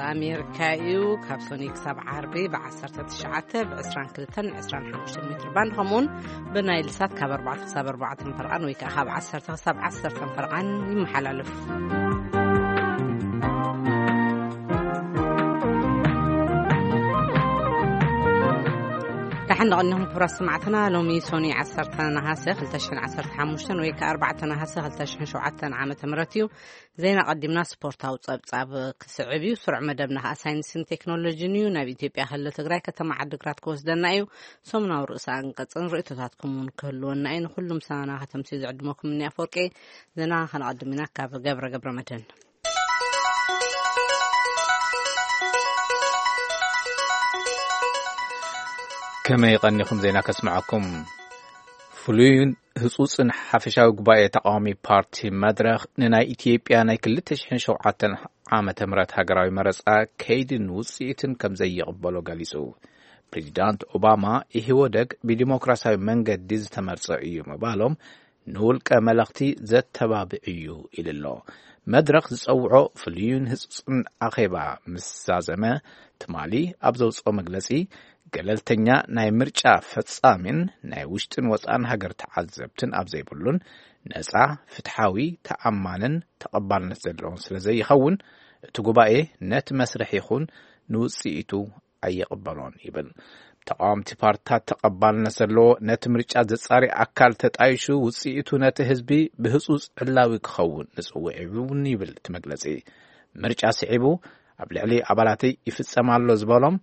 ኣሜሪካ እዩ። ካብ ሶኒ ክሳብ ዓርቢ ብ19 ብ22 ን 25 ሜትር ባንድ፣ ከምኡውን ብናይል ሳት ካብ ኣርባዕተ ክሳብ ኣርባዕተ ፈርቓን ወይ ከዓ ካብ ዓሰርተ ክሳብ ዓሰርተ ፈርቓን ይመሓላለፍ። ደሓን ደቐኒኹም ክቡራት ሰማዕትና። ሎሚ ሶኒ 10 ነሃሰ 2015 ወይ ከዓ 4 ነሃሰ 2007 ዓመተ ምህረት እዩ። ዜና ቀዲምና ስፖርታዊ ጸብጻብ ክስዕብ እዩ። ስሩዕ መደብና ከዓ ሳይንስን ቴክኖሎጂን እዩ። ናብ ኢትዮጵያ ክልል ትግራይ ከተማ ዓዲግራት ክወስደና እዩ። ሰሙናዊ ርእሰ ኣንቀጽን ርእይቶታትኩም እውን ክህልወና እዩ። ንኹሉም ሰናና ከተምሲ ዝዕድመኩም እኒ ኣፈወርቂ። ዜና ከነቐድም ኢና ካብ ገብረ ገብረ መድህን። ከመይ ቀኒኹም? ዜና ከስምዐኩም። ፍሉይን ህጹጽን ሓፈሻዊ ጉባኤ ተቃዋሚ ፓርቲ መድረኽ ንናይ ኢትዮጵያ ናይ 2007 ዓመተ ምህረት ሃገራዊ መረጻ ከይድን ውጽኢትን ከም ዘይቕበሎ ገሊጹ። ፕሬዚዳንት ኦባማ ኢህወደግ ብዲሞክራሲያዊ መንገዲ ዝተመርጸ እዩ ምባሎም ንውልቀ መለኽቲ ዘተባብዕ እዩ ኢሉ ኣሎ። መድረኽ ዝጸውዖ ፍሉይን ህጹጽን ኣኼባ ምስ ዛዘመ፣ ትማሊ ኣብ ዘውጽኦ መግለጺ፣ ገለልተኛ ናይ ምርጫ ፈጻሚን ናይ ውሽጥን ወጻእን ሃገር ተዓዘብትን ኣብ ዘይብሉን፣ ነጻ፣ ፍትሓዊ፣ ተኣማንን ተቐባልነት ዘለዎን ስለ ዘይኸውን፣ እቲ ጉባኤ ነቲ መስርሕ ይኹን ንውጽኢቱ ኣይቕበሎን ይብል። ተቃወምቲ ፓርትታት ተቐባልነት ዘለዎ ነቲ ምርጫ ዘጻሪ ኣካል ተጣይሹ ውጽኢቱ ነቲ ህዝቢ ብህጹጽ ዕላዊ ክኸውን ንጽውዕ እውን ይብል እቲ መግለጺ። ምርጫ ስዒቡ ኣብ ልዕሊ ኣባላተይ ይፍጸም ኣሎ ዝበሎም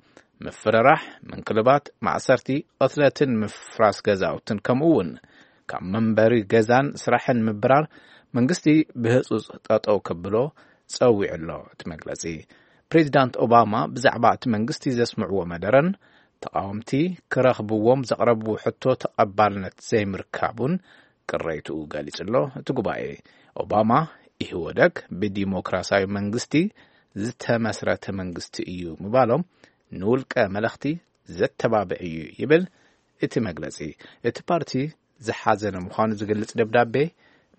ምፍርራሕ፣ ምንክልባት፣ ማእሰርቲ፣ ቅትለትን ምፍራስ ገዛውትን ከምኡ እውን ካብ መንበሪ ገዛን ስራሕን ምብራር መንግስቲ ብህጹጽ ጠጠው ከብሎ ጸዊዑ ኣሎ እቲ መግለጺ። ፕሬዚዳንት ኦባማ ብዛዕባ እቲ መንግስቲ ዘስምዕዎ መደረን ተቃወምቲ ክረኽብዎም ዘቕረብዎ ሕቶ ተቐባልነት ዘይምርካቡን ቅሬትኡ ገሊጹ ኣሎ። እቲ ጉባኤ ኦባማ ኢህወደግ ብዲሞክራሲያዊ መንግስቲ ዝተመስረተ መንግስቲ እዩ ምባሎም ንውልቀ መለኽቲ ዘተባብዕ እዩ ይብል እቲ መግለጺ። እቲ ፓርቲ ዝሓዘነ ምዃኑ ዝገልጽ ደብዳቤ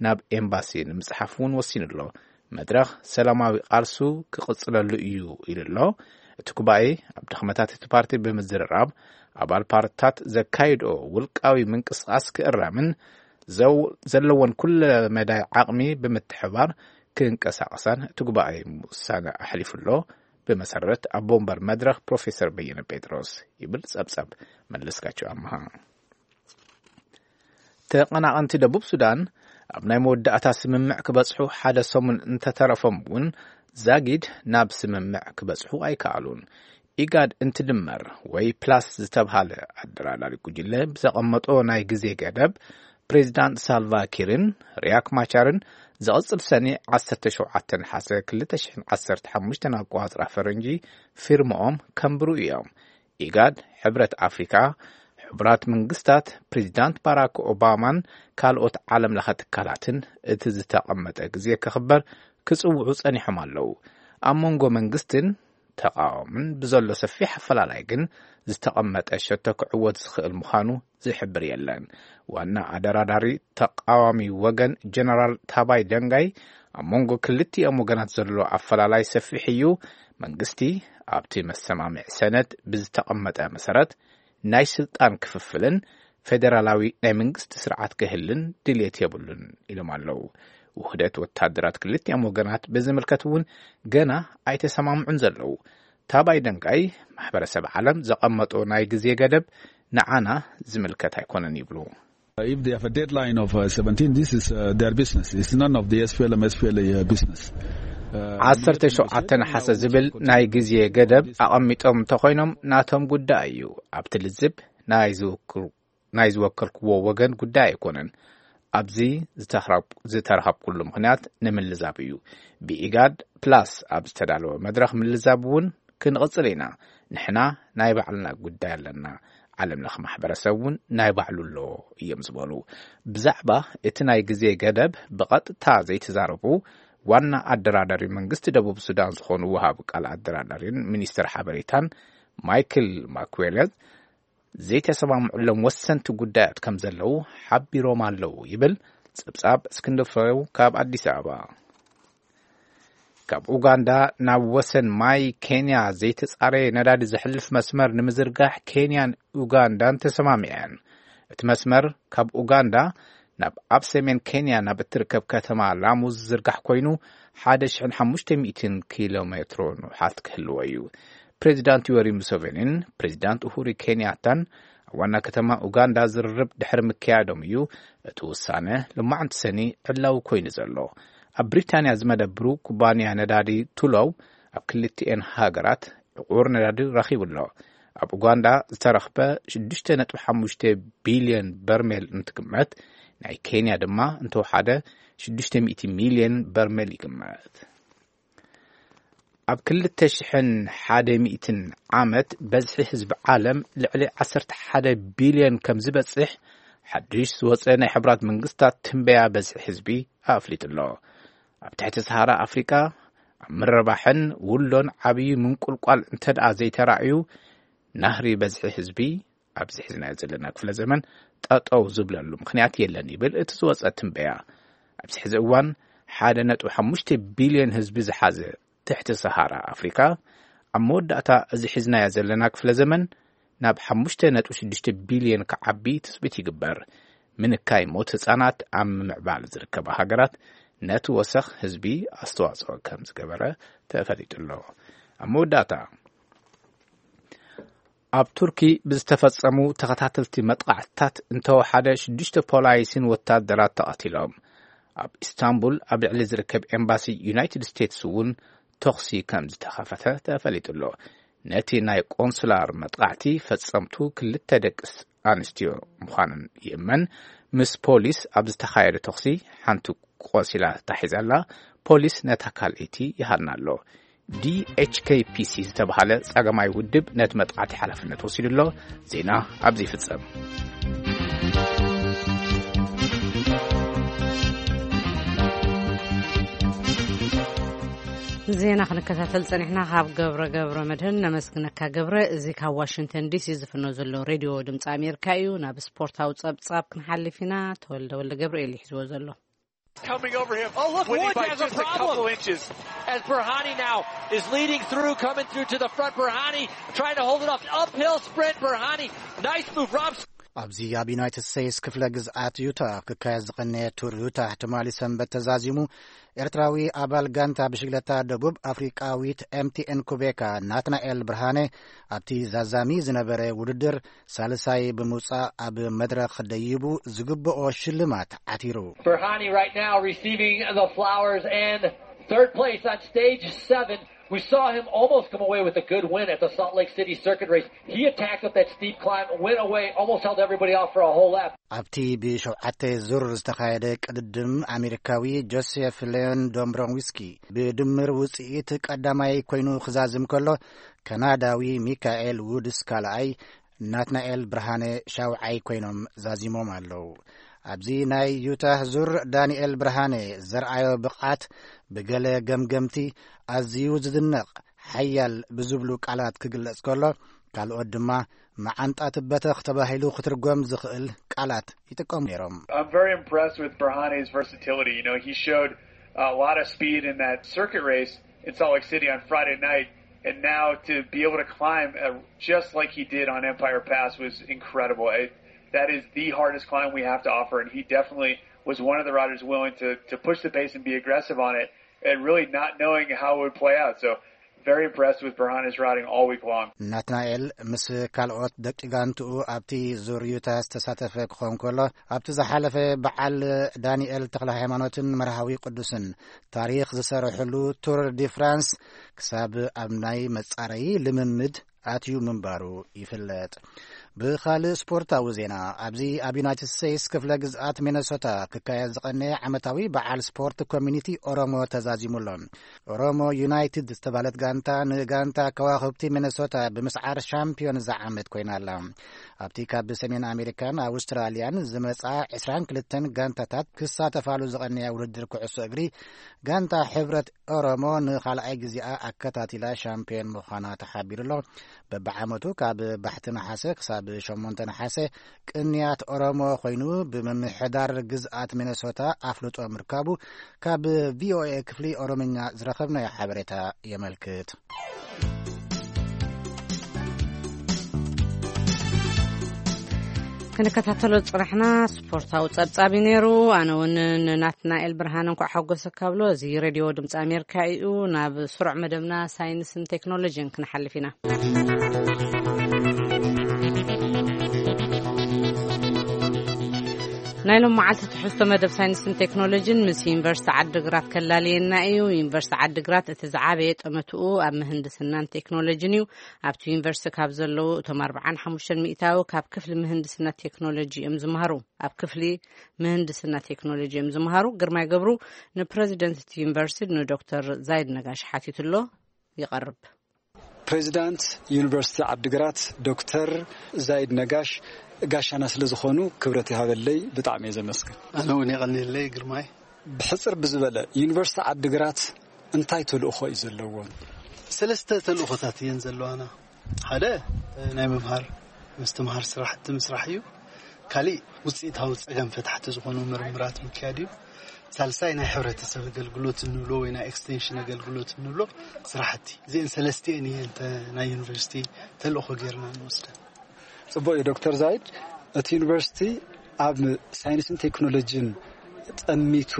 ናብ ኤምባሲ ንምጽሓፍ እውን ወሲኑ ኣሎ። መድረኽ ሰላማዊ ቃልሱ ክቕጽለሉ እዩ ኢሉ ኣሎ። እቲ ጉባኤ ኣብ ድኽመታት እቲ ፓርቲ ብምዝርራብ ኣባል ፓርትታት ዘካይድኦ ውልቃዊ ምንቅስቃስ ክእረምን ዘው-፣ ዘለዎን ኩለ መዳይ ዓቕሚ ብምትሕባር ክንቀሳቐሳን እቲ ጉባኤ ውሳነ ኣሕሊፉ ኣሎ። ብመሰረት ኣቦ ወንበር መድረኽ ፕሮፌሰር በየነ ጴጥሮስ ይብል ጸብጸብ መለስካቸው ኣምሃ። ተቐናቐንቲ ደቡብ ሱዳን ኣብ ናይ መወዳእታ ስምምዕ ክበጽሑ ሓደ ሰሙን እንተተረፎም እውን ዛጊድ ናብ ስምምዕ ክበጽሑ ኣይከኣሉን። ኢጋድ እንትድመር ወይ ፕላስ ዝተብሃለ ኣደራዳሪ ጉጅለ ብዘቐመጦ ናይ ግዜ ገደብ ፕሬዚዳንት ሳልቫ ኪርን ሪያክ ማቻርን ዝቕጽል ሰኒ 17 ነሓሰ 2015 ኣቋጽራ ፈረንጂ ፊርማኦም ከንብሩ እዮም። ኢጋድ፣ ሕብረት ኣፍሪካ፣ ሕቡራት መንግስታት፣ ፕሬዚዳንት ባራክ ኦባማን ካልኦት ዓለም ለኸ ትካላትን እቲ ዝተቐመጠ ግዜ ክኽበር ክጽውዑ ጸኒሖም ኣለዉ። ኣብ መንጎ መንግስትን ተቃዋምን ብዘሎ ሰፊሕ ኣፈላላይ ግን ዝተቐመጠ ሸቶ ክዕወት ዝኽእል ምዃኑ ዝሕብር የለን። ዋና ኣደራዳሪ ተቃዋሚ ወገን ጀነራል ታባይ ደንጋይ ኣብ መንጎ ክልቲኦም ወገናት ዘሎ ኣፈላላይ ሰፊሕ እዩ። መንግስቲ ኣብቲ መሰማምዒ ሰነድ ብዝተቐመጠ መሰረት ናይ ስልጣን ክፍፍልን ፌደራላዊ ናይ መንግስቲ ስርዓት ክህልን ድልየት የብሉን ኢሎም ኣለዉ። ውህደት ወታደራት ክልቲኦም ወገናት ብዝምልከት እውን ገና ኣይተሰማምዑን ዘለዉ። ታባይ ደንጋይ ማሕበረሰብ ዓለም ዘቐመጦ ናይ ግዜ ገደብ ንዓና ዝምልከት ኣይኮነን ይብሉ። If they have a deadline of uh, seventeen, this is uh, their business. It's none of the S P L M, S P L A uh, business. Uh, 17 ነሓሰ ዝብል ናይ ግዜ ገደብ ኣቐሚጦም እንተኾይኖም ናቶም ጉዳይ እዩ። ኣብቲ ልዝብ ናይ ዝውክሩ-፣ ናይ ዝወከልክዎ ወገን ጉዳይ ኣይኮነን። ኣብዚ ዝተኽራብ-፣ ዝተረኸብኩሉ ምኽንያት ንምልዛብ እዩ። ብኢጋድ ፕላስ ኣብ ዝተዳለወ መድረኽ ምልዛብ እውን ክንቕጽል ኢና። ንሕና ናይ ባዕልና ጉዳይ ኣለና። ዓለም ለኸ ማሕበረሰብ እውን ናይ ባዕሉ ኣለዎ እዮም ዝበሉ። ብዛዕባ እቲ ናይ ግዜ ገደብ ብቐጥታ ዘይተዛረቡ ዋና ኣደራዳሪ መንግስቲ ደቡብ ሱዳን ዝኾኑ ወሃብ ቃል ኣደራዳሪን ሚኒስትር ሓበሬታን ማይክል ማኩዌለዝ ዘይተሰማምዑሎም ወሰንቲ ጉዳያት ከም ዘለዉ ሓቢሮም ኣለዉ ይብል ጸብጻብ እስክንድር ፍሬው ካብ ኣዲስ ኣበባ። ካብ ኡጋንዳ ናብ ወሰን ማይ ኬንያ ዘይተጻረየ ነዳዲ ዘሕልፍ መስመር ንምዝርጋሕ ኬንያን ኡጋንዳን ተሰማሚዐን። እቲ መስመር ካብ ኡጋንዳ ናብ ኣብ ሰሜን ኬንያ ናብ እትርከብ ከተማ ላሙ ዝዝርጋሕ ኮይኑ፣ ሓደ ሽሕን ሓሙሽተ ሚእትን ኪሎ ሜትሮ ንውሓት ክህልዎ እዩ። ፕሬዚዳንት ዮሪ ሙሴቬኒን ፕሬዚዳንት ኡሁሪ ኬንያታን ኣብ ዋና ከተማ ኡጋንዳ ዝርርብ ድሕሪ ምክያዶም እዩ እቲ ውሳነ ሎማዕንቲ ሰኒ ዕላዊ ኮይኑ ዘሎ። ኣብ ብሪታንያ ዝመደብሩ ኩባንያ ነዳዲ ቱሎው ኣብ ክልቲኤን ሃገራት ዕቑር ነዳዲ ረኺቡ ኣሎ። ኣብ ኡጋንዳ ዝተረኽበ ሽዱሽተ ነጥቢ ሓሙሽተ ቢልዮን በርሜል እንትግመት፣ ናይ ኬንያ ድማ እንተወሓደ ሽዱሽተ ሚእቲ ሚልዮን በርሜል ይግመት። ኣብ ክልተ ሽሕን ሓደ ሚእትን ዓመት በዝሒ ህዝቢ ዓለም ልዕሊ ዓሰርተ ሓደ ቢልዮን ከም ዝበጽሕ ሓድሽ ዝወጸ ናይ ሕብራት መንግስታት ትንበያ በዝሒ ህዝቢ ኣፍሊጡ ኣሎ። ኣብ ትሕቲ ሰሃራ ኣፍሪቃ ኣብ ምርባሕን ውሎን ዓብዪ ምንቁልቋል እንተ ደኣ ዘይተራእዩ፣ ናህሪ በዝሒ ህዝቢ ኣብዚ ሒዝናዮ ዘለና ክፍለ ዘመን ጠጠው ዝብለሉ ምኽንያት የለን ይብል እቲ ዝወጸ ትንበያ። ኣብዚ ሕዚ እዋን ሓደ ነጥቢ ሓሙሽተ ቢልዮን ህዝቢ ዝሓዘ ትሕቲ ሰሃራ ኣፍሪካ ኣብ መወዳእታ እዚ ሒዝናዮ ዘለና ክፍለ ዘመን ናብ ሓሙሽተ ነጥቢ ሽዱሽተ ቢልዮን ክዓቢ ትጽቢት ይግበር። ምንካይ ሞት ህጻናት ኣብ ምምዕባል ዝርከባ ሃገራት ነቲ ወሰኽ ህዝቢ ኣስተዋጽኦ ከም ዝገበረ ተፈሊጡ ኣሎ። ኣብ መወዳእታ ኣብ ቱርኪ ብዝተፈጸሙ ተኸታተልቲ መጥቓዕትታት እንተወሓደ ሽዱሽተ ፖላይስን ወታደራት ተቐቲሎም። ኣብ ኢስታንቡል ኣብ ልዕሊ ዝርከብ ኤምባሲ ዩናይትድ ስቴትስ እውን ተኹሲ ከም ዝተኸፈተ ተፈሊጡ ኣሎ። ነቲ ናይ ቆንሱላር መጥቓዕቲ ፈጸምቱ ክልተ ደቂ ኣንስትዮ ምዃነን ይእመን። ምስ ፖሊስ ኣብ ዝተኻየደ ተኹሲ ሓንቲ ቆሲላ ተታሒዛ ኣላ። ፖሊስ ነታ ካልኣይቲ ይሃና ኣሎ። ዲ ኤች ኬ ፒ ሲ ዝተባህለ ጸገማይ ውድብ ነቲ መጥቃዕቲ ሓላፍነት ወሲዱ ኣሎ። ዜና ኣብዚ ይፍጸም። ዜና ክንከታተል ጸኒሕና። ካብ ገብረ ገብረ መድህን ነመስግነካ ገብረ። እዚ ካብ ዋሽንግተን ዲ ሲ ዝፍኖ ዘሎ ሬድዮ ድምፂ ኣሜሪካ እዩ። ናብ ስፖርታዊ ጸብጻብ ክንሓልፍ ኢና። ተወልደ ወልደ ገብርኤል ይሕዝዎ ዘሎ። Coming over him. Oh, look, Woody Wood by has a just a problem. Couple inches. As Burhani now is leading through, coming through to the front. Burhani trying to hold it off. Uphill sprint, Burhani. Nice move, Rob. ኣብዚ ኣብ ዩናይትድ ስቴትስ ክፍለ ግዝኣት ዩታ ክካየድ ዝቐነየ ቱር ዩታ ትማሊ ሰንበት ተዛዚሙ። ኤርትራዊ ኣባል ጋንታ ብሽግለታ ደቡብ ኣፍሪቃዊት ኤም ቲ ኤን ኩቤካ ናትናኤል ብርሃነ ኣብቲ ዛዛሚ ዝነበረ ውድድር ሳልሳይ ብምውጻእ ኣብ መድረኽ ደይቡ ዝግብኦ ሽልማት ዓቲሩ። Burhani right now receiving the flowers and third place on stage seven. We saw him almost come away with a good win at the Salt Lake City Circuit Race. He attacked up that steep climb, went away, almost held everybody off for a whole lap. ኣብቲ ብሸውዓተ ዙር ዝተኻየደ ቅድድም ኣሜሪካዊ ጆሴፍ ሌዮን ዶምብሮንዊስኪ ብድምር ውጽኢት ቀዳማይ ኮይኑ ክዛዝም ከሎ፣ ካናዳዊ ሚካኤል ውድስ ካልኣይ፣ ናትናኤል ብርሃነ ሻውዓይ ኮይኖም ዛዚሞም ኣለዉ። ኣብዚ ናይ ዩታህ ዙር ዳንኤል ብርሃነ ዘርኣዮ ብቕዓት ብገለ ገምገምቲ ኣዝዩ ዝድነቕ ሓያል ብዝብሉ ቃላት ክግለጽ ከሎ፣ ካልኦት ድማ መዓንጣ ትበተኽ ተባሂሉ ክትርጎም ዝኽእል ቃላት ይጥቀሙ ነይሮም። I'm very impressed with Burhane's versatility. You know, he showed a lot of speed in that circuit race in Salt Lake City on Friday night, and now to be able to climb uh, just like he did on Empire Pass was incredible. It, that is the hardest climb we have to offer, and he definitely was one of the riders willing to, to push the pace and be aggressive on it, and really not knowing how it would play out. So, very impressed with Burhane's riding all week long. ናትናኤል ምስ ካልኦት ደቂ ጋንትኡ ኣብቲ ዙር ዩታ ዝተሳተፈ ክኸውን ከሎ፣ ኣብቲ ዝሓለፈ በዓል ዳንኤል ተኽለ ሃይማኖትን መርሃዊ ቅዱስን ታሪኽ ዝሰርሕሉ ቱር ዲ ፍራንስ ክሳብ ኣብ ናይ መጻረዪ ልምምድ ኣትዩ ምንባሩ ይፍለጥ። ብኻልእ ስፖርታዊ ዜና፣ ኣብዚ ኣብ ዩናይትድ ስቴትስ ክፍለ ግዝኣት ሚነሶታ ክካየድ ዝቐነየ ዓመታዊ በዓል ስፖርት ኮሚኒቲ ኦሮሞ ተዛዚሙ ኣሎ። ኦሮሞ ዩናይትድ ዝተባህለት ጋንታ ንጋንታ ከዋኽብቲ ሚነሶታ ብምስዓር ሻምፒዮን እዛ ዓመት ኮይና ኣላ። ኣብቲ ካብ ሰሜን ኣሜሪካን ኣውስትራልያን ዝመጻ ዕስራን ክልተን ጋንታታት ክሳተፋሉ ዝቐነያ ውድድር ኩዕሶ እግሪ፣ ጋንታ ሕብረት ኦሮሞ ንኻልኣይ ግዜኣ ኣከታቲላ ሻምፒዮን ምዃና ተሓቢሩ ኣሎ። በብዓመቱ ካብ ባሕቲ ነሓሰ ክሳብ ሸሞንተ ነሓሰ ቅንያት ኦሮሞ ኮይኑ ብምምሕዳር ግዝኣት ሚነሶታ ኣፍልጦ ምርካቡ ካብ ቪኦኤ ክፍሊ ኦሮምኛ ዝረኸብናዮ ሓበሬታ የመልክት። ክንከታተሎ ዝጽናሕና ስፖርታዊ ጸብጻብ እዩ ነይሩ። ኣነ እውን ንናትናኤል ብርሃን እንኳዕ ሓጎሰካ ብሎ። እዚ ሬድዮ ድምፂ ኣሜሪካ እዩ። ናብ ስሩዕ መደብና ሳይንስን ቴክኖሎጂን ክንሓልፍ ኢና። ናይ ሎም መዓልቲ ትሕዝቶ መደብ ሳይንስን ቴክኖሎጂን ምስ ዩኒቨርሲቲ ዓዲግራት ከላልየና እዩ። ዩኒቨርሲቲ ዓዲግራት እቲ ዝዓበየ ጠመትኡ ኣብ ምህንድስናን ቴክኖሎጂን እዩ። ኣብቲ ዩኒቨርሲቲ ካብ ዘለዉ እቶም ኣርብዓን ሓሙሽተን ሚእታዊ ካብ ክፍሊ ምህንድስና ቴክኖሎጂ እዮም ዝምሃሩ። ኣብ ክፍሊ ምህንድስና ቴክኖሎጂ እዮም ዝምሃሩ። ግርማይ ገብሩ ንፕረዚደንት እቲ ዩኒቨርሲቲ ንዶክተር ዛይድ ነጋሽ ሓቲቱሎ። ይቐርብ። ፕሬዚዳንት ዩኒቨርሲቲ ዓዲግራት ዶክተር ዛይድ ነጋሽ ጋሻና ስለ ዝኾኑ ክብረት ይሃበለይ፣ ብጣዕሚ እየ ዘመስግን። ኣነ እውን የቐንየለይ ግርማይ። ብሕፅር ብዝበለ ዩኒቨርሲቲ ዓዲግራት እንታይ ተልእኾ እዩ ዘለዎም? ሰለስተ ተልእኾታት እየን ዘለዋና። ሓደ ናይ ምምሃር ምስትምሃር ስራሕቲ ምስራሕ እዩ። ካሊእ ውፅኢታዊ ፀገም ፈታሕቲ ዝኾኑ ምርምራት ምክያድ እዩ። ሳልሳይ ናይ ሕብረተሰብ ኣገልግሎት እንብሎ ወይ ናይ ኤክስቴንሽን ኣገልግሎት እንብሎ ስራሕቲ። እዚአን ሰለስቲአን እየን ተ- ናይ ዩኒቨርሲቲ ተልእኾ ጌርና ንወስደን። ጽቡቅ እዩ ዶክተር ዛይድ፣ እቲ ዩኒቨርሲቲ ኣብ ሳይንስን ቴክኖሎጂን ጠሚቱ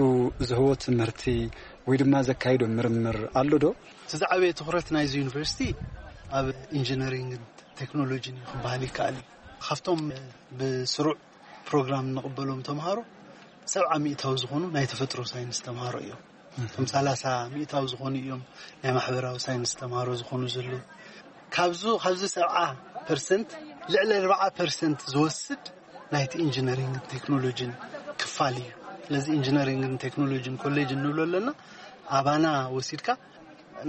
ዝህቦ ትምህርቲ ወይ ድማ ዘካይዶ ምርምር ኣሎ ዶ? እቲ ዝዓበየ ትኹረት ናይዚ ዩኒቨርሲቲ ኣብ ኢንጂነሪንግን ቴክኖሎጂን እዩ ክበሃል ይከኣል እዩ። ካብቶም ብስሩዕ ፕሮግራም እንቕበሎም ተምሃሮ ሰብዓ ሚእታዊ ዝኾኑ ናይ ተፈጥሮ ሳይንስ ተምሃሮ እዮም። ከም ሰላሳ ሚእታዊ ዝኾኑ እዮም ናይ ማሕበራዊ ሳይንስ ተምሃሮ ዝኾኑ ዘለዉ። ካብዚ ካብዚ ሰብዓ ፐርሰንት ልዕሊ ኣርብዓ ፐርሰንት ዝወስድ ናይቲ ኢንጂነሪንግን ቴክኖሎጂን ክፋል እዩ። ስለዚ ኢንጂነሪንግን ቴክኖሎጂን ኮሌጅ እንብሎ ኣለና፣ ኣባና ወሲድካ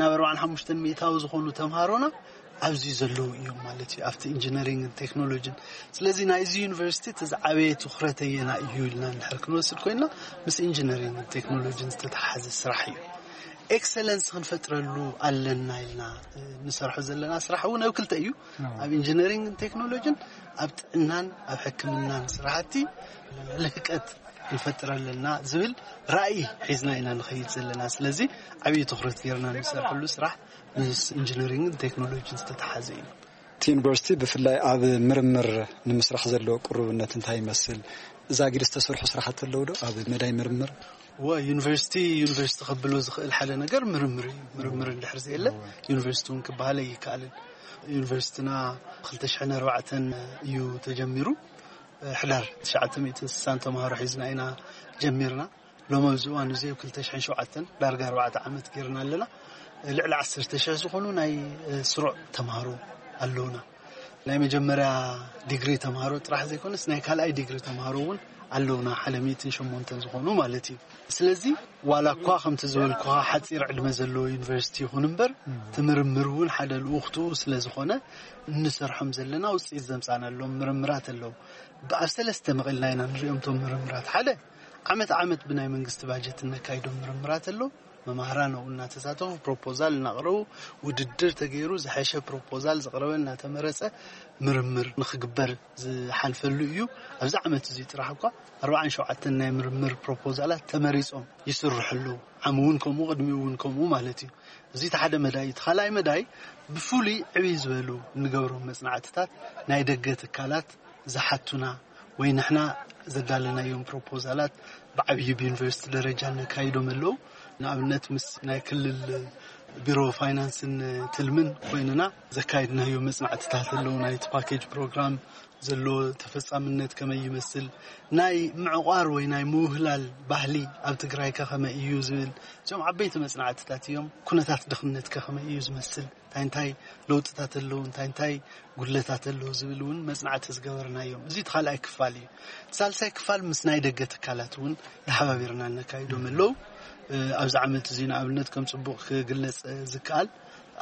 ናብ ኣርባዓን ሓሙሽተን ሚእታዊ ዝኾኑ ተምሃሮና ኣብዚ ዘለዉ እዮም ማለት እዩ፣ ኣብቲ ኢንጂነሪንግን ቴክኖሎጂን። ስለዚ ናይዚ ዩኒቨርሲቲ እቲ ዝዓበየ ትኹረት ኣየና እዩ ኢልና እንድሕር ክንወስድ ኮይና፣ ምስ ኢንጂነሪንግን ቴክኖሎጂን ዝተተሓሓዘ ስራሕ እዩ። ኤክሰለንስ ክንፈጥረሉ ኣለና ኢልና ንሰርሖ ዘለና ስራሕ እውን ኣብ ክልተ እዩ። ኣብ ኢንጂነሪንግን ቴክኖሎጂን፣ ኣብ ጥዕናን ኣብ ሕክምናን ስራሕቲ ልህቀት ክንፈጥር ኣለና ዝብል ራእይ ሒዝና ኢና ንኸይድ ዘለና። ስለዚ ዓብዪ ትኹረት ጌርና ንሰርሐሉ ስራሕ ምስ ኢንጂነሪንግን ቴክኖሎጂን ዝተተሓዘ እዩ። እቲ ዩኒቨርሲቲ ብፍላይ ኣብ ምርምር ንምስራሕ ዘለዎ ቅሩብነት እንታይ ይመስል? ዛጊድ ዝተሰርሑ ስራሕቲ ኣለዉ ዶ ኣብ መዳይ ምርምር? ወ ዩኒቨርሲቲ ዩኒቨርሲቲ ከብሎ ዝኽእል ሓደ ነገር ምርምር እዩ። ምርምር እንድሕር ዘየለ ዩኒቨርሲቲ እውን ክበሃል ኣይከኣልን። ዩኒቨርሲቲና ክልተ ሽሕን ኣርባዕተን እዩ ተጀሚሩ። ሕዳር ትሽዓተ ሚእትን ስሳን ተምሃሮ ሒዝና ኢና ጀሚርና። ሎም ኣብዚ እዋን እዚ ኣብ ክልተ ሽሕን ሸውዓተን ዳርጋ ኣርባዕተ ዓመት ጌርና ኣለና። ልዕሊ ዓሰርተ ሽሕ ዝኾኑ ናይ ስሩዕ ተምሃሮ ኣለውና። ናይ መጀመርያ ዲግሪ ተምሃሮ ጥራሕ ዘይኮነስ ናይ ካልኣይ ዲግሪ ተምሃሮ እውን ኣለውና፣ ሓደ ሚእትን ሸሞንተን ዝኾኑ ማለት እዩ። ስለዚ ዋላ እኳ ከምቲ ዝበልኩኻ ሓፂር ዕድመ ዘለዎ ዩኒቨርሲቲ ይኹን እምበር፣ እቲ ምርምር እውን ሓደ ልኡኽቱ ስለ ዝኾነ እንሰርሖም ዘለና ውፅኢት ዘምፃናሎም ምርምራት ኣለዉ። ኣብ ሰለስተ መቒልና ኢና ንሪኦም እቶም ምርምራት። ሓደ ዓመት ዓመት ብናይ መንግስቲ ባጀት እነካይዶም ምርምራት ኣለዉ። መማህራን ኣብኡ እናተሳተፉ ፕሮፖዛል እናቕረቡ፣ ውድድር ተገይሩ ዝሐሸ ፕሮፖዛል ዝቕረበ እናተመረፀ ምርምር ንኽግበር ዝሓልፈሉ እዩ። ኣብዚ ዓመት እዚ ጥራሕ እኳ ኣርባዓን ሸውዓተን ናይ ምርምር ፕሮፖዛላት ተመሪፆም ይስርሑ ኣለዉ። ዓሚ እውን ከምኡ፣ ቅድሚኡ እውን ከምኡ ማለት እዩ። እዚ እቲ ሓደ መዳይ። እቲ ካልኣይ መዳይ ብፍሉይ ዕብይ ዝበሉ እንገብሮም መፅናዕትታት ናይ ደገ ትካላት ዝሓቱና ወይ ንሕና ዘዳለናዮም ፕሮፖዛላት ብዓብዪ ብዩኒቨርሲቲ ደረጃ ነካይዶም ኣለዉ። ንኣብነት ምስ ናይ ክልል ቢሮ ፋይናንስን ትልምን ኮይንና ዘካየድናዮ መፅናዕትታት ኣለዉ። ናይቲ ፓኬጅ ፕሮግራም ዘሎ ተፈጻምነት ከመይ ይመስል፣ ናይ ምዕቋር ወይ ናይ ምውህላል ባህሊ ኣብ ትግራይ ከ ከመይ እዩ ዝብል፣ እዚኦም ዓበይቲ መፅናዕትታት እዮም። ኩነታት ድኽነት ከ ከመይ እዩ ዝመስል፣ እንታይ እንታይ ለውጥታት ኣለዉ፣ እንታይ እንታይ ጉድለታት ኣለዉ ዝብል እውን መፅናዕቲ ዝገበርናዮም። እዚ እቲ ካልኣይ ክፋል እዩ። እቲ ሳልሳይ ክፋል ምስ ናይ ደገ ትካላት እውን ተሓባቢርና እነካይዶም ኣለዉ። እ፣ ኣብዚ ዓመት እዚ ንኣብነት ከም ፅቡቕ ክግለፅ ዝከኣል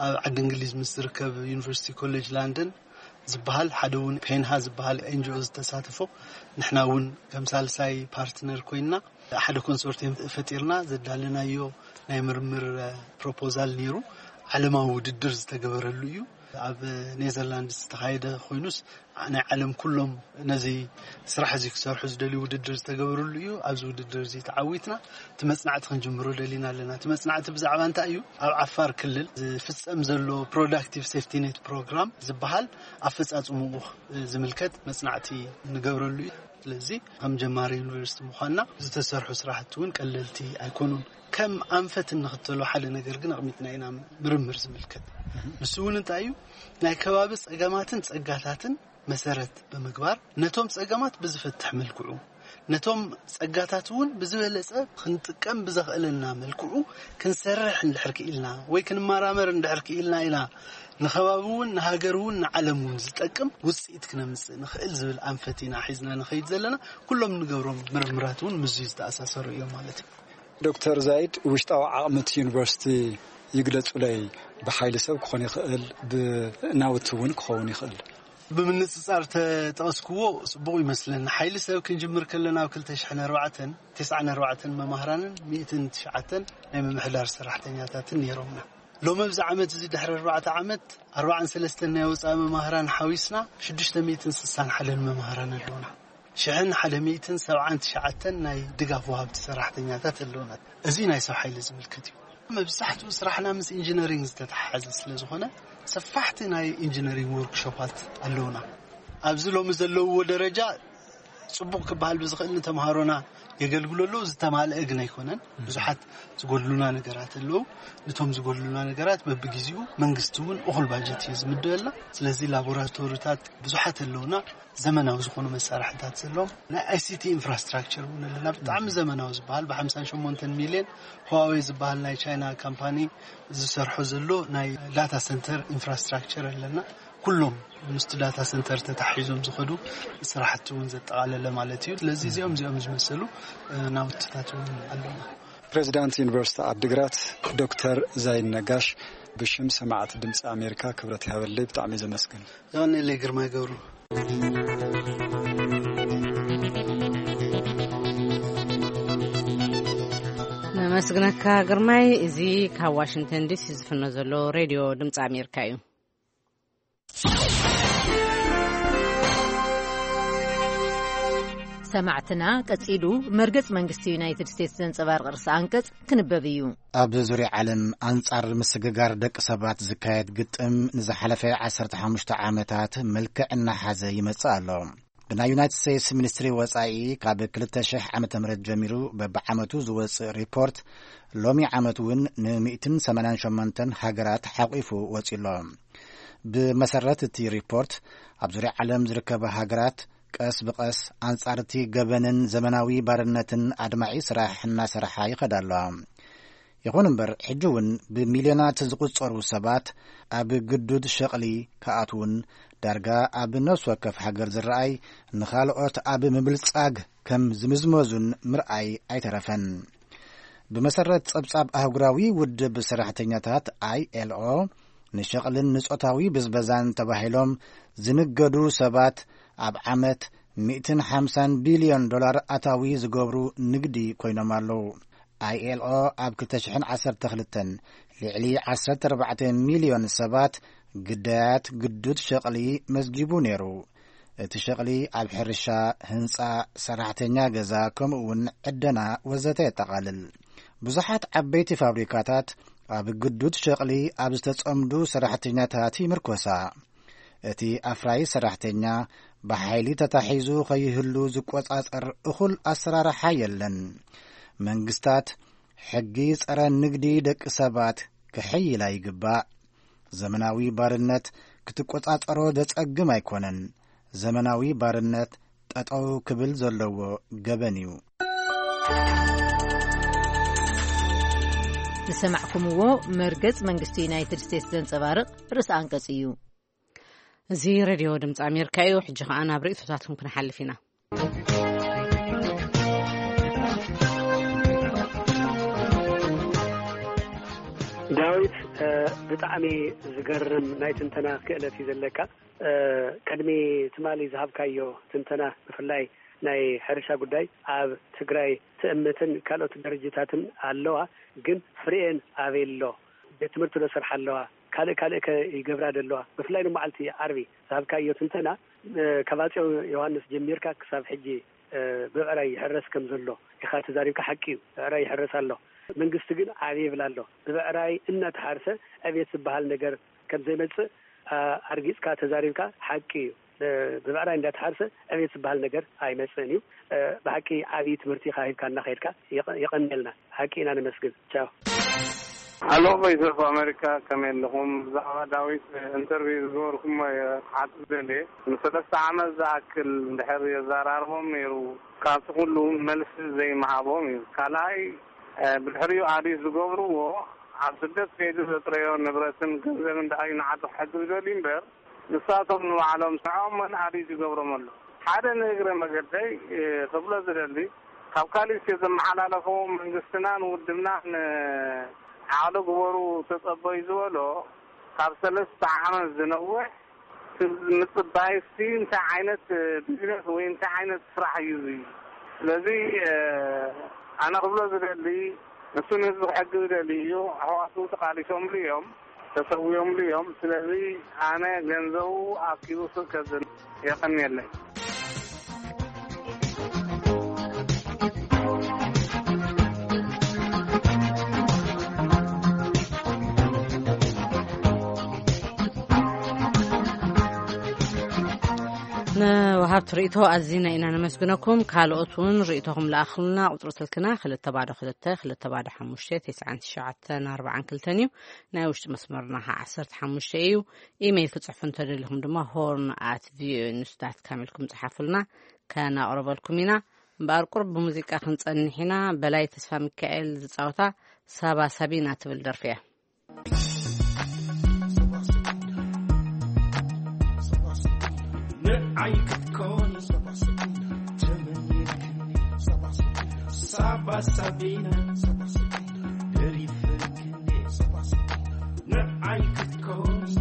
ኣብ ዓዲ እንግሊዝ ምስ ዝርከብ ዩኒቨርሲቲ ኮሌጅ ላንደን ዝበሃል ሓደ እውን ፔንሃ ዝበሃል ኤንጂኦ ዝተሳተፎ ንሕና እውን ከም ሳልሳይ ፓርትነር ኮይንና ሓደ ኮንሶርቲየም ፈጢርና ዘዳለናዮ ናይ ምርምር ፕሮፖዛል ነይሩ። ዓለማዊ ውድድር ዝተገበረሉ እዩ። ኣብ ኔዘርላንድስ ዝተኻየደ ኮይኑስ፣ ናይ ዓለም ኩሎም ነዚ ስራሕ እዚ ክሰርሑ ዝደልዩ ውድድር ዝተገበረሉ እዩ። ኣብዚ ውድድር እዚ ተዓዊትና እቲ መጽናዕቲ ክንጅምሮ ደሊና ኣለና። እቲ መጽናዕቲ ብዛዕባ እንታይ እዩ? ኣብ ዓፋር ክልል ዝፍጸም ዘሎ ፕሮዳክቲቭ ሴፍቲ ኔት ፕሮግራም ዝበሃል ኣፈጻጽምኡ ዝምልከት መጽናዕቲ ንገብረሉ እዩ። ስለዚ ከም ጀማሪ ዩኒቨርሲቲ ምዃንና ዝተሰርሑ ስራሕቲ እውን ቀለልቲ ኣይኮኑን። ከም ኣንፈት እንኽተሎ ሓደ ነገር ግን ኣቕሚጥና ኢና፣ ምርምር ዝምልከት። ንሱ እውን እንታይ እዩ? ናይ ከባቢ ጸገማትን ጸጋታትን መሰረት ብምግባር ነቶም ጸገማት ብዝፈትሕ መልክዑ፣ ነቶም ጸጋታት እውን ብዝበለጸ ክንጥቀም ብዘኽእለና መልክዑ ክንሰርሕ እንድሕር ክኢልና ወይ ክንመራመር እንድሕር ክኢልና ኢና ንኸባቢ እውን ንሃገር እውን ንዓለም እውን ዝጠቅም ውጽኢት ክነምጽእ ንኽእል ዝብል ኣንፈት ኢና ሒዝና ንኸይድ ዘለና። ኩሎም ንገብሮም ምርምራት እውን ምስዚ ዝተኣሳሰሩ እዮም ማለት እዩ። ዶክተር ዛይድ፣ ውሽጣዊ ዓቕሚ እቲ ዩኒቨርሲቲ ይግለጹለይ። ብሓይሊ ሰብ ክኾን ይኽእል፣ ብናውቲ እውን ክኸውን ይኽእል። ብምንጽጻር ተጠቐስክዎ ጽቡቕ ይመስለኒ። ሓይሊ ሰብ ክንጅምር ከለና ኣብ ክልተ ሽሕን ኣርባዕተን፣ ተስዓን ኣርባዕተን መማህራንን ሚእትን ትሽዓተን ናይ ምምሕዳር ሰራሕተኛታትን ነይሮምና። ሎም ኣብዚ ዓመት እዚ ድሕሪ ኣርባዕተ ዓመት ኣርባዓን ሰለስተን ናይ ወፃኢ መማህራን ሓዊስና ሽዱሽተ ሚእትን ስሳን ሓደን መማህራን ኣለውና። ሽሕን ሓደ ሚእትን ሰብዓን ትሽዓተን ናይ ድጋፍ ወሃብቲ ሰራሕተኛታት ኣለውና። እዚ ናይ ሰብ ሓይሊ ዝምልከት እዩ። መብዛሕትኡ ስራሕና ምስ ኢንጂነሪንግ ዝተተሓሓዘ ስለ ዝኾነ ሰፋሕቲ ናይ ኢንጂነሪንግ ወርክሾፓት ኣለውና። ኣብዚ ሎሚ ዘለውዎ ደረጃ ጽቡቕ ክበሃል ብዝኽእል ንተምሃሮና የገልግሉ ኣለዉ። ዝተማልአ ግን ኣይኮነን። ብዙሓት ዝጎድሉና ነገራት ኣለዉ። ንቶም ዝጎድሉና ነገራት በብግዜኡ መንግስቲ እውን እኹል ባጀት እዩ ዝምደበልና። ስለዚ ላቦራቶሪታት ብዙሓት ኣለውና፣ ዘመናዊ ዝኾኑ መሳርሕታት ዘለዎም። ናይ ኣይሲቲ ኢንፍራስትራክቸር እውን ኣለና፣ ብጣዕሚ ዘመናዊ ዝበሃል ብ ሓምሳን ሸሞንተን ሚልዮን። ህዋዌ ዝበሃል ናይ ቻይና ካምፓኒ ዝሰርሖ ዘሎ ናይ ዳታ ሰንተር ኢንፍራስትራክቸር ኣለና። ኩሎም ምስቲ ዳታ ሰንተር ተታሒዞም ዝኸዱ ስራሕቲ እውን ዘጠቓለለ ማለት እዩ። ስለዚ እዚኦም እዚኦም ዝመሰሉ ናውትታት እውን ኣለና። ፕሬዚዳንት ዩኒቨርሲቲ ዓዲግራት ዶክተር ዛይን ነጋሽ፣ ብሽም ሰማዕቲ ድምፂ ኣሜሪካ ክብረት ይሃበለይ። ብጣዕሚ ዘመስግን። የቐንየለይ ግርማይ ገብሩ። ነመስግነካ ግርማይ። እዚ ካብ ዋሽንግተን ዲሲ ዝፍኖ ዘሎ ሬድዮ ድምፂ ኣሜሪካ እዩ። ሰማዕትና፣ ቀጺሉ መርገጽ መንግስቲ ዩናይትድ ስቴትስ ዘንጸባርቕ ርእሲ ኣንቀጽ ክንበብ እዩ። ኣብ ዙርያ ዓለም ኣንጻር ምስግጋር ደቂ ሰባት ዝካየድ ግጥም ንዝሓለፈ ዓሰርተ ሓሙሽተ ዓመታት መልክዕ እናሓዘ ይመጽእ ኣሎ። ብናይ ዩናይትድ ስቴትስ ሚኒስትሪ ወጻኢ ካብ ክልተ ሽሕ ዓመተ ምህረት ጀሚሩ በብዓመቱ ዝወጽእ ሪፖርት ሎሚ ዓመት እውን ን ሚእትን ሰማንያን ሸሞንተን ሃገራት ሓቂፉ ወጺኡ ኣሎ። ብመሰረት እቲ ሪፖርት፣ ኣብ ዙርያ ዓለም ዝርከባ ሃገራት ቀስ ብቐስ ኣንጻር እቲ ገበንን ዘመናዊ ባርነትን ኣድማዒ ስራሕ እናሰርሓ ይኸዳ ኣለዋ። ይኹን እምበር፣ ሕጂ እውን ብሚልዮናት ዝቑጸሩ ሰባት ኣብ ግዱድ ሸቕሊ ክኣትዉን ዳርጋ ኣብ ነፍሲ ወከፍ ሃገር ዝረኣይ ንኻልኦት ኣብ ምብልጻግ ከም ዝምዝመዙን ምርኣይ ኣይተረፈን። ብመሰረት ጸብጻብ ኣህጉራዊ ውድብ ሰራሕተኛታት፣ ኣይኤልኦ፣ ንሸቕልን ንጾታዊ ብዝበዛን ተባሂሎም ዝንገዱ ሰባት ኣብ ዓመት ሚእትን ሓምሳን ቢልዮን ዶላር ኣታዊ ዝገብሩ ንግዲ ኮይኖም ኣለዉ። ኣይኤልኦ ኣብ ክልተ ሽሕን ዓሰርተ ክልተን ልዕሊ ዓሰርተ ኣርባዕተ ሚልዮን ሰባት ግዳያት ግዱድ ሸቕሊ መዝጊቡ ነይሩ። እቲ ሸቕሊ ኣብ ሕርሻ፣ ህንጻ፣ ሰራሕተኛ ገዛ፣ ከምኡ እውን ዕደና ወዘተ የጠቓልል። ብዙሓት ዓበይቲ ፋብሪካታት ኣብ ግዱድ ሸቕሊ ኣብ ዝተጸምዱ ሰራሕተኛታት ይምርኮሳ። እቲ ኣፍራዪ ሰራሕተኛ ብሓይሊ ተታሒዙ ከይህሉ ዝቆጻጸር እኹል ኣሰራርሓ የለን። መንግስታት ሕጊ ጸረ ንግዲ ደቂ ሰባት ክሕይላ ይግባእ። ዘመናዊ ባርነት ክትቆጻጸሮ ዘጸግም ኣይኮነን። ዘመናዊ ባርነት ጠጠው ክብል ዘለዎ ገበን እዩ። ዝሰማዕኩምዎ መርገጽ መንግስቲ ዩናይትድ ስቴትስ ዘንጸባርቕ ርእሲ ኣንቀጽ እዩ። እዚ ሬድዮ ድምፂ ኣሜሪካ እዩ። ሕጂ ኸዓ ናብ ርእይቶታትኩም ክንሓልፍ ኢና። ዳዊት፣ ብጣዕሚ ዝገርም ናይ ትንተና ክእለት እዩ ዘለካ። ቅድሚ ትማሊ ዝሃብካዮ ትንተና፣ ብፍላይ ናይ ሕርሻ ጉዳይ፣ ኣብ ትግራይ ትእምትን ካልኦት ድርጅታትን ኣለዋ፣ ግን ፍሬኤን ኣበይ ኣሎ? ቤት ትምህርቲ ዶ ሰርሓ ኣለዋ? ካልእ ካልእ ከ ይገብራ ዘለዋ? ብፍላይ ንመዓልቲ ዓርቢ ዝሃብካዮ ትንተና፣ ካብ ኣጼ ዮሃንስ ጀሚርካ ክሳብ ሕጂ ብዕራይ ይሕረስ ከም ዘሎ ኢኻ ተዛሪብካ። ሓቂ እዩ፣ ብዕራይ ይሕረስ ኣሎ። መንግስቲ ግን ዓብየ ይብል ኣሎ። ብብዕራይ እናተሓርሰ ዕቤት ዝበሃል ነገር ከም ዘይመጽእ ኣርጊጽካ ተዛሪብካ። ሓቂ እዩ። ብብዕራይ እንዳተሓርሰ ዕቤት ዝበሃል ነገር ኣይመጽእን እዩ። ብሓቂ ዓብዪ ትምህርቲ ኢኻ ሂብካና ከይድካ። የቐንየልና። ሓቂ ኢና ነመስግን። ቻው። ኣሎ፣ ቮይስ ኦፍ ኣሜሪካ፣ ከመይ ኣለኹም? ብዛዕባ ዳዊት ኢንተርቪው ዝገበርኩሞ እየ ክሓትት ደልየ። ንሰለስተ ዓመት ዝኣክል እንድሕር የዘራርቦም ነይሩ፣ ካብቲ ኩሉ መልሲ ዘይምሃቦም እዩ። ካልኣይ፣ ብድሕሪኡ ኣዲት ዝገብርዎ፣ ኣብ ስደት ከይዱ ዘጥረዮ ንብረትን ገንዘብን ደኣ እዩ ንዓዱ ክሕግዝ ደልዩ እምበር፣ ንሳቶም ንባዕሎም ስርሖም መን ኣዲት ይገብሮም ኣሎ? ሓደ ንእግረ መገደይ ክብሎ ዝደሊ፣ ካብ ካሊእ ዘመሓላለፈዎ መንግስትናን ውድብናን ዓቕሊ ግበሩ ተጸበዩ ዝበሎ፣ ካብ ሰለስተ ዓመት ዝነውሕ ምጽባይሲ እንታይ ዓይነት ቢዝነስ ወይ እንታይ ዓይነት ስራሕ እዩ እዚ? ስለዚ ኣነ ክብሎ ዝደሊ፣ ንሱ ንህዝቢ ክሕግዝ ደሊ እዩ። ኣሕዋቱ ተቃሊሶምሉ እዮም፣ ተሰዊኦምሉ እዮም። ስለዚ ኣነ ገንዘቡ ኣኪቡ ስብ ከዝን የቀንየለይ። ንወሃብቲ ርእቶ ኣዚና ኢና ነመስግነኩም። ካልኦት እውን ርእቶኹም ለኣኽሉና። ቁፅሪ ስልክና ክልተ ባዶ ክልተ ክልተ ባዶ ሓሙሽተ ተስዓን ትሽዓተን ኣርባዓን ክልተን እዩ። ናይ ውሽጢ መስመርና ከዓ ዓሰርተ ሓሙሽተ እዩ። ኢሜይል ክፅሕፉ እንተደሊኹም ድማ ሆርን ኣት ቪኦኤ ኒውስ ዳት ካም ኢልኩም ፀሓፉልና፣ ከናቕርበልኩም ኢና። እምበኣር ቁርብ ብሙዚቃ ክንፀንሕ ኢና። በላይ ተስፋ ሚካኤል ዝፃወታ ሳባ ሳቢና ትብል ደርፊ እያ። ንዓይ ክትኮኒ ተመኒትክኒ ሳባ ሳቢና ደሪፈክኒ ንዓይ ክትኮኒ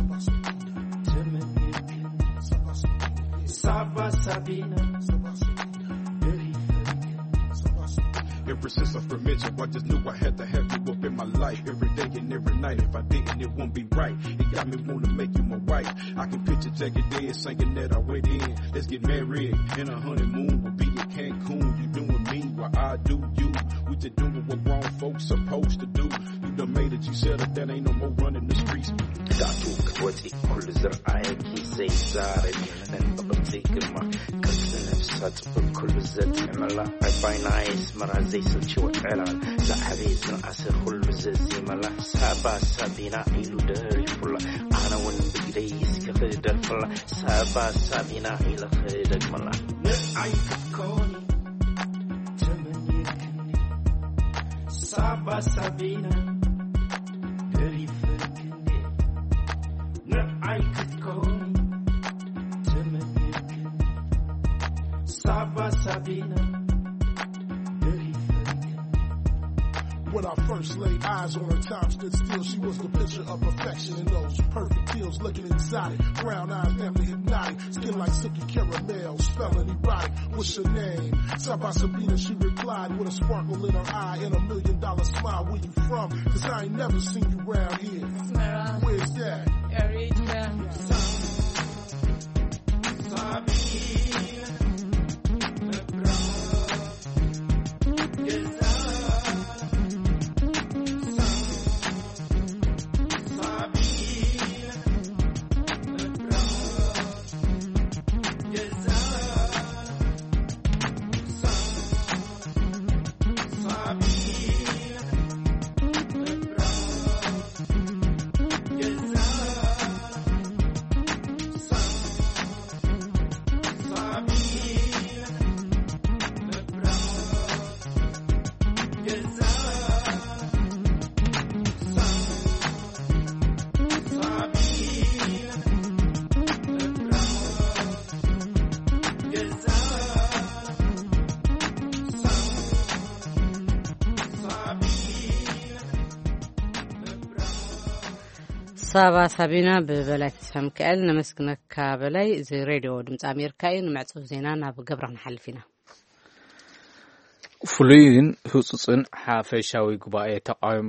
ተመኒትክኒ ሳባ ሳቢና ደሪፈክኒ Ever since I first met you, I just knew I had to have you up in my life every day and every night. If I didn't, it wouldn't be right. It got me wanna make you my wife. I can picture Jackie Dead singing that I went in. Let's get married and a honeymoon. We'll be in Cancun. You doing me while I do you. We just doing what grown folks supposed to do. You done made it. You settled down. Ain't no more running the streets. ዳቱ ክትወፂ ኩሉ ዝረኣየኪ ዘይዛረብ እዩ። ብቕርፂ ግርማ ቅርፂ ነብሳ ፅቡቅ ኩሉ ዘጥዕመላ ዕባይ ናይ ኣስመራ ዘይሰልችዎ ዕላል ዝዓበየ ዝነኣሰ ኩሉ ዘዚመላ ሳባ ሳቢና ኢሉ ደሪፉላ ኣነ እውን ብግደይ እስኪ ክደርፍላ ሳባ ሳቢና ኢለ ክደግመላ ንዓይ ክትኮኒ ተመኒትክኒ ሳባ ሳቢና ደሪፈክኒ ንዓይ ክትኮኒ ተመኒትክኒ ሳባ ሳቢና ደሪፈክኒ When I first laid eyes on her, time stood still. She was the picture of perfection in those perfect heels, looking exotic. Brown eyes, damn near hypnotic. Skin like silky caramel, smelling erotic. What's your name? Saba Sabina, she replied with a sparkle in her eye and a million dollar smile. Where you from? Cause I ain't never seen you round here. Smera. Where's that? Eritrea. ሳባ ሳቢና ብበላይ ተስፋ ሚካኤል ነመስግነካ። በላይ፣ እዚ ሬድዮ ድምፂ ኣሜሪካ እዩ። ንመዕፅዊ ዜና ናብ ገብረ ክንሓልፍ ኢና። ፍሉይን ህፁፅን ሓፈሻዊ ጉባኤ ተቃወም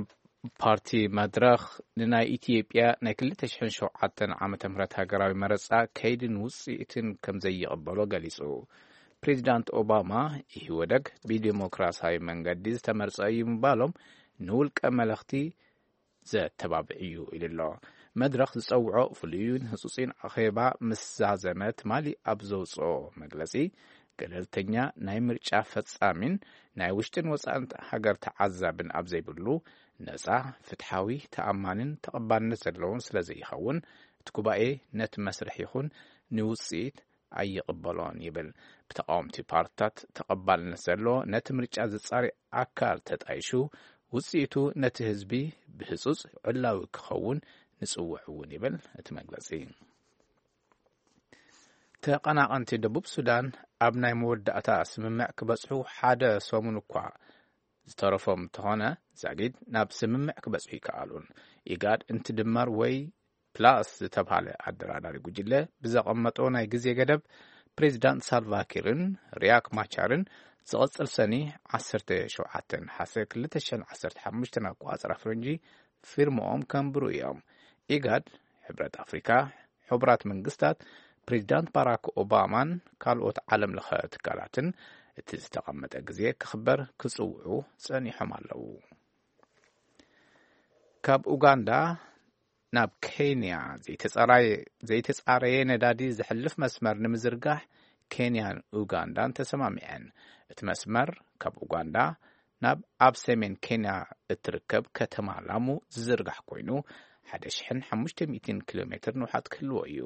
ፓርቲ መድረኽ ንናይ ኢትዮጵያ ናይ ክልተ ሽሕን ሸውዓተን ዓመተ ምህረት ሃገራዊ መረጻ ከይድን ውጽኢትን ከም ዘይቕበሎ ገሊጹ። ፕሬዚዳንት ኦባማ፣ ኢህወደግ ብዲሞክራሲያዊ መንገዲ ዝተመርጸ እዩ ምባሎም ንውልቀ መለኽቲ ዘተባብዕ እዩ ኢሉ ኣሎ። መድረኽ ዝጸውዖ ፍሉይን ህጹጽን ኣኼባ ምስ ዛዘመ ትማሊ ኣብ ዘውጽኦ መግለጺ፣ ገለልተኛ ናይ ምርጫ ፈጻሚን ናይ ውሽጥን ወጻእን ሃገር ተዓዛብን ኣብ ዘይብሉ፣ ነጻ፣ ፍትሓዊ፣ ተኣማንን ተቐባልነት ዘለዎን ስለ ዘይኸውን፣ እቲ ጉባኤ ነቲ መስርሕ ይኹን ንውጽኢት ኣይቕበሎን ይብል። ብተቃወምቲ ፓርትታት ተቐባልነት ዘለዎ ነቲ ምርጫ ዝጻሪ ኣካል ተጣይሹ፣ ውጽኢቱ ነቲ ህዝቢ ብህጹጽ ዕላዊ ክኸውን ንጽውዕ እውን ይብል እቲ መግለጺ። ተቐናቐንቲ ደቡብ ሱዳን ኣብ ናይ መወዳእታ ስምምዕ ክበጽሑ ሓደ ሰሙን እኳ ዝተረፎም እንተኾነ፣ ዛጊድ ናብ ስምምዕ ክበጽሑ ይከኣሉን። ኢጋድ እንትድመር ወይ ፕላስ ዝተባህለ ኣደራዳሪ ጉጅለ ብዘቐመጦ ናይ ግዜ ገደብ፣ ፕሬዚዳንት ሳልቫኪርን ሪያክ ማቻርን ዝቐጽል ሰኒ ዓሰርተ ሸውዓተ ነሓሰ ክልተ ሽሕን ዓሰርተ ሓሙሽተን ኣቆጻጽራ ፈረንጂ ፊርማኦም ከንብሩ እዮም። ኢጋድ፣ ሕብረት ኣፍሪካ፣ ሕቡራት መንግስታት፣ ፕሬዚዳንት ባራክ ኦባማን ካልኦት ዓለም ለኸ ትካላትን እቲ ዝተቐመጠ ግዜ ክኽበር ክጽውዑ ጸኒሖም ኣለዉ። ካብ ኡጋንዳ ናብ ኬንያ ዘይተጻራየ-፣ ዘይተጻረየ ነዳዲ ዘሕልፍ መስመር ንምዝርጋሕ ኬንያን ኡጋንዳን ተሰማሚዐን። እቲ መስመር ካብ ኡጋንዳ ናብ ኣብ ሰሜን ኬንያ እትርከብ ከተማ ላሙ ዝዝርጋሕ ኮይኑ፣ ሓደ ሽሕን ሓሙሽተ ሚእትን ኪሎ ሜትር ንውሓት ክህልዎ እዩ።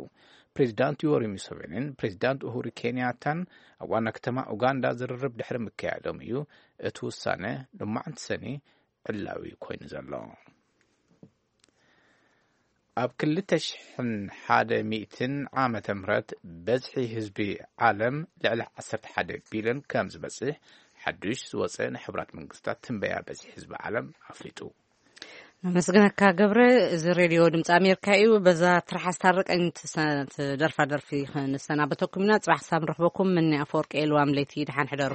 ፕሬዚዳንት ዮወሪ ሙሴቬኒን ፕሬዚዳንት ኡሁሩ ኬንያታን ኣብ ዋና ከተማ ኡጋንዳ ዝርርብ ድሕሪ ምክያዶም እዩ እቲ ውሳነ ሎማዕንቲ ሰኒ ዕላዊ ኮይኑ ዘሎ። ኣብ ክልተ ሽሕን ሓደ ሚእትን ዓመተ ምህረት በዝሒ ህዝቢ ዓለም ልዕሊ ዓሰርተ ሓደ ቢልዮን ከም ዝበጽሕ ሓዱሽ ዝወጸ ናይ ሕቡራት መንግስታት ትንበያ በዝሒ ህዝቢ ዓለም ኣፍሊጡ። ኣመስግነካ ገብረ። እዚ ሬድዮ ድምፂ ኣሜሪካ እዩ። በዛ ትርሓስ ታረቀኝ ትሰ-፣ ትደርፋ ደርፊ ክንሰናበተኩም ኢና። ጽባሕ ክሳብ ንረኽበኩም፣ ምኒ ኣፈወርቂ ኤልዋም ለይቲ፣ ደሓን ሕደሩ።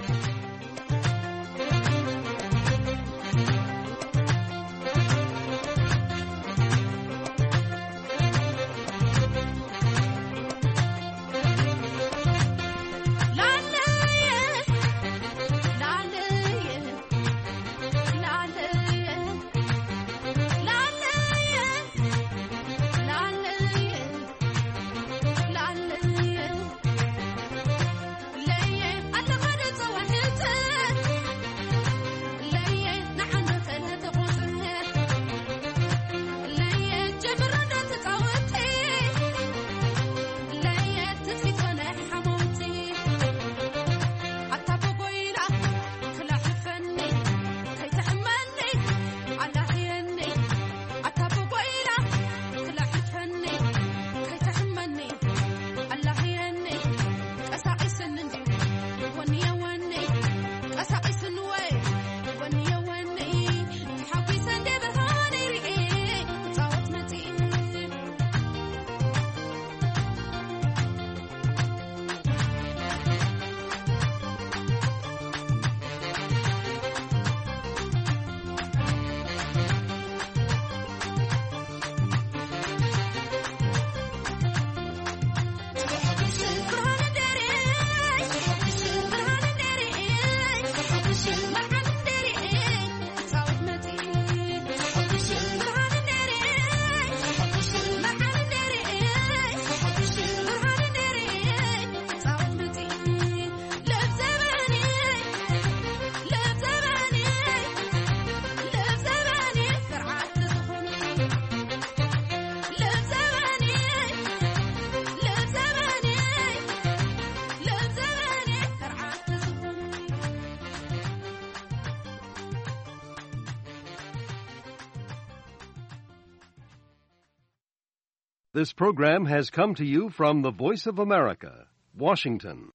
This program has come to you from the Voice of America, Washington.